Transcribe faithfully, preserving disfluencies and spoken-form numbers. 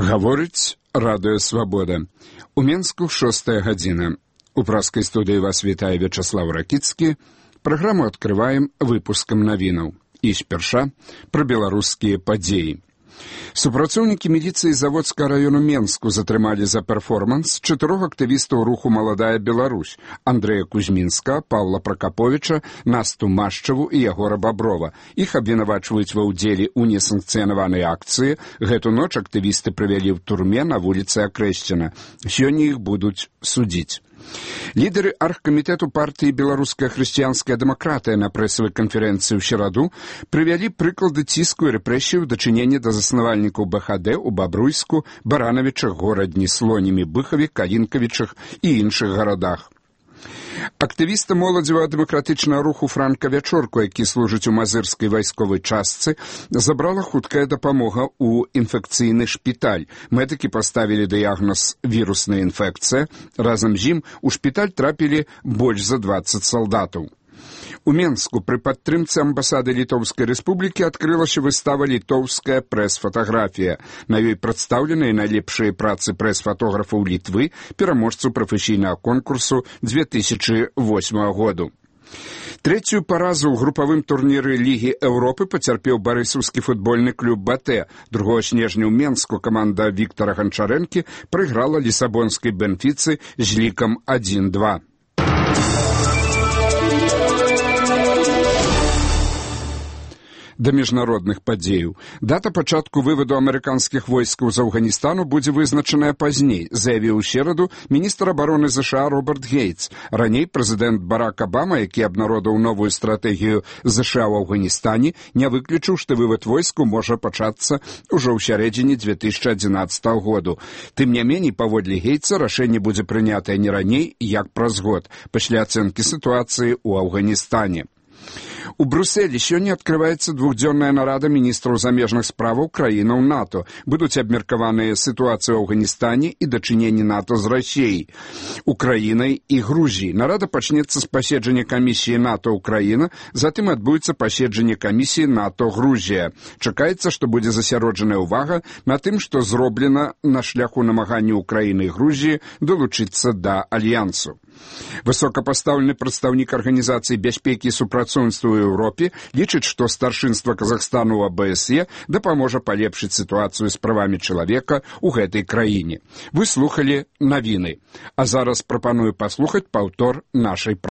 Гаворыць радыё «Свабода». У Менску шостая гадзіна. У праскай студыі вас вітае Вячаслав Ракіцкі. Праграму адкрываем выпускам навінаў. І спярша пра беларускія падзеі. Супрацоўнікі міліцыі Заводскага раёну Менску затрымалі за перформанс чатырох актывістаў руху «Маладая Беларусь» Андрэя Кузьмінска, Павла Пракаповіча, Насту Машчаву і Ягора Баброва. Іх абвінавачваюць ва ўдзеле ў несанкцыянаванай акцыі. Гэту ноч актывісты правялі ў турме на вуліцы Акрэсціна. Сёння іх будуць судзіць. Лідеры аргкамітэту партыі «Беларуская хрысціянская дэмакратыя» на прэсавай канферэнцыі ў сераду прывялі прыклады ціску і рэпрэсій у дачыненні да заснавальнікаў БХД ў Бабруйску, Баранавічах, Горадні, Слонімі, Быхаве, Калінкавічах і іншых гарадах. Актывіста моладзевага дэмакратычнага руху Франка Вячорку, які служыць у мазырскай вайсковай частцы, забрала хуткая дапамога ў інфекцыйны шпіталь. Медыкі паставілі дыягноз вірусная інфекцыя. Разам з ім у шпіталь трапілі больш за дваццаць салдатаў. У Менску пры падтрымцы амбасады Літоўскай рэспублікі адкрылася выстава «Літоўская прэс-фатаграфія». На ёй прадстаўленыя найлепшыя працы прэс-фатографаў Літвы, пераможцаў прафесійнага конкурсу дзве тысячы восьмага году. Трэцюю паразу ў групавым турніры Лігі Еўропы пацярпеў барысаўскі футбольны клуб «Батэ». другога снежня ў Менску каманда Віктара Ганчарэнкі прайграла лісабонскай Бенфіцы з лікам адзін два. Да міжнародных падзеяў. Дата пачатку вываду амерыканскіх войскаў з Афганістану будзе вызначаная пазней, заявіў у сераду міністр абароны ЗША Роберт Гейтс. Раней прэзідэнт Барак Абама, які абнародаваў новую стратэгію ЗША ў Афганістане, не выключыў, што вывад войскаў можа пачацца ўжо ў сярэдзіне дзве тысячы адзінаццатага году. Тым не меней, паводле Гейтса, рашэнне будзе прынятае не раней, як праз год, пасля ацэнкі сітуацыі ў Афганістане. У Брюсселі сёння адкрываецца двухдзённая нарада міністраў замежных справаў краінаў НАТО. Будуць абмеркаваныя сітуацыі ў Афганістане і дачыненні НАТО з Расіяй, Украінай і Грузіяй. Нарада пачнецца з паседжання камісіі НАТО Украіна, затым адбудзецца паседжанне камісіі НАТО Грузія. Чакаецца, што будзе засяроджаная ўвага на тым, што зроблена на шляху намагання Украіны і Грузіі далучыцца да альянсу. Высокапастаўлены прадстаўнік Арганізацыі бяспекі і супрацоўніцтва ў Еўропе лічыць, што старшынства Казахстану ў АБСЕ дапаможа палепшыць сітуацыю з правамі чалавека ў гэтай краіне. Вы слухалі навіны. А зараз прапаную паслухаць паўтор нашай